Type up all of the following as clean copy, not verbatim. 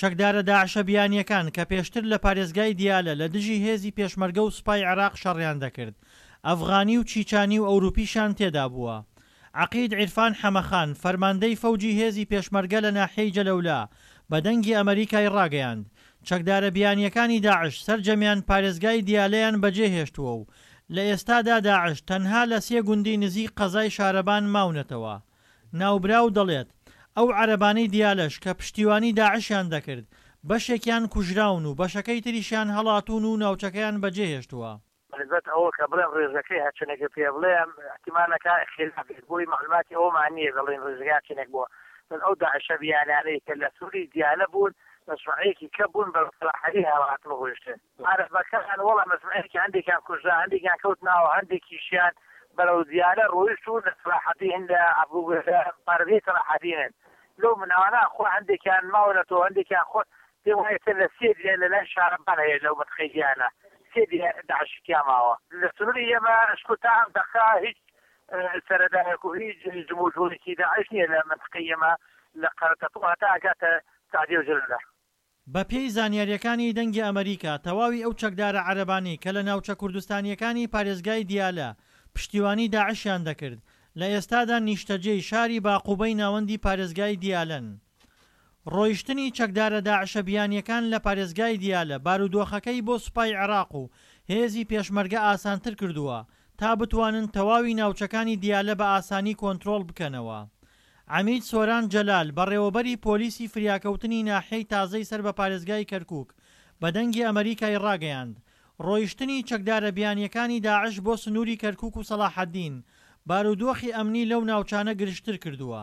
چەکدارە داعشە بیانییەکان کە پێشتر لە پارێزگای دیالە لە دژی هێزی پێشمەرگە و سوپای عێراق شەڕیان دەکرد، ئەفغانی و چیچانی و ئەوروپیشیان تێدا بووە. عەقید عیرفان حەمەخان، فەرماندەی فەوجی هێزی پێشمەرگە لە ناحیەی جەلەولا، بە دەنگی ئەمەریکای ڕاگەیاند، چەکدارە بیانییەکانی داعش سەرجەمیان پارێزگای دیالەیان بەجێهێشتووە و لە ئێستادا داعش تەنها لە سێ گوندی نزیک قەزای شارەبان ماونەتەوە. ناوبراو دەڵێت، ئەو عەرەبانەی دیالەش کە پشتیوانی داعشیان دەکرد، بەشێکیان کوژراون و بەشەکەی تریشیان هەڵاتوون و ناوچەکەیان بەجێهێشتووە. بە نسبەت ئەوە کە بڵێم ڕێژەکەی هەرچەنێکە پێ بڵێم ئیحتیمالەکە خیلاف بێت بۆی مەعلوماتی ئەوەمان نییە بڵێین ڕێژەکە هەرچەنێک بووە بەس ئەو داعشە بیانانەی کە لە سنووری دیالە بوون مەجموعەیەکی کە بوون بە سەلاحەدین هەڵاتن و ڕۆیشتن عەرەبەکان وەڵا مەجموعەیەکی هەندێکیان کوژرا هەندێکیان کەوتنەوە هەندێکیشیان بەرەو دیالە ڕۆیشت و لە سەلاحەدین لە لە پارێزگای سەلاحەدینن لەو مناوانە خۆ هەندێکیان ماونەتەوە هەندێکیان خۆ پێم وایە ئێستا لە سێ دیە لە لای شارەبان هەیە لەو مەنتقەی دیالە سێ دیە داعشی تیا ماوە لە سنوری ئێمە شکور تا ئەم دەقە هیچ سەرەدایەک و هیچ جموجوڵێکی داعش نییە لە مەنتقەی ئێمە لە قەرەتەپە هەتا ئەگاتە سەعدیە و جەلەولە. بە پێی زانیارییەکانی دەنگی ئەمەریکا، تەواوی ئەو چەکدارە عەرەبانەی کە لە ناوچە کوردستانییەکانی پارێزگای دیالە پشتیوانی داعشیان دەکرد، لە ئێستادا نیشتەجێی شاری باقوبەی ناوەندی پارێزگای دیالەن. ڕۆیشتنی چەکدارە داعشە بیانییەکان لە پارێزگای دیالە بارودۆخەکەی بۆ سوپای عێراق و هێزی پێشمەرگە ئاسانتر کردووە تا بتوانن تەواوی ناوچەکانی دیالە بە ئاسانی کۆنترۆڵ بکەنەوە. عەمید سۆران جەلال، بەڕێوەبەری پۆلیسی فریاکەوتنی ناحیەی تازەی سەر بە پارێزگای کەرکوک، بە دەنگی ئەمەریکای ڕاگەیاند، ڕۆیشتنی چەکدارە بیانییەکانی داعش بۆ سنووری کەرکوک و سەڵاحەدین، بارودۆخی ئەمنی لەو ناوچانە گرژتر کردووە.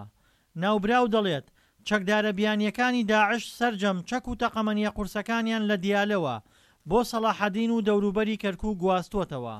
ناوبراو دەڵێت، چەکدارە بیانییەکانی داعش سەرجەم چەک و تەقەمەنییە قورسەکانیان لە دیالەوە بۆ سەڵاحەدین و دەوروبەری کەرکوک گواستووەتەوە.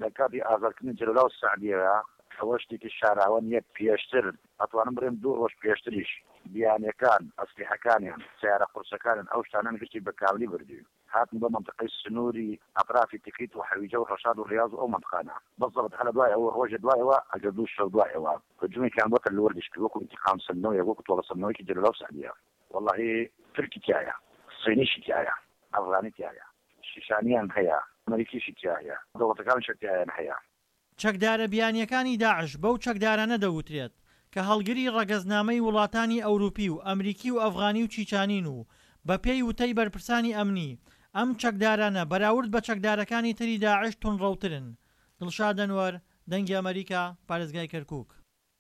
لە کاتی ئازادکردنی جەلەولا و سەعدیەوە ئەوە شتێکی شاراوە نیە پێشتر ئەتوانم بڵێم دوو ڕۆژ پێشتریش بیانیەکان ئەسلیحەکانیان سەیارە قورسەکانیان ئەو شتانەیان گشتی بە کاملی بردوین هاتن بۆ مەنتقەی سنوری ئەترافی تکریت و حەویجە و ڕەشاد و ڕیاز و ئەو مەنتقانە بزەبت هەر لە دوای ئەوە ڕۆژێ دوای ئەوە ئەگەر دوو شەو دوای ئەوە هجومێکیان بۆ تەل وەردیش کرد وەکو ئینتیقام سەندنەوەیەک وەکو تۆڵە سەندنەوەیەکی جەلەولا و سەعدیە. وەڵاهی تورکی تیایە صینیشی تیایە ئەفغانی تیایە شیشانیان هەیە ئەمریکیشی تیایە دەوڵەتەکانیش تیایان هەیە. چەکدارە بیانییەکانی داعش بەو چەکدارانە دەوترێت کە هەڵگری ڕەگەزنامەی وڵاتانی ئەوروپی و ئەمریکی و ئەفغانی و چیچانین و بەپێی وتەی بەرپرسانی ئەمنی، ئەم چەکدارانە بەراورد بە چەکدارەکانی تری داعش توندڕەوترن. دڵشاد ئەنوەر، دەنگی ئەمەریکا، پارێزگای کەرکوک.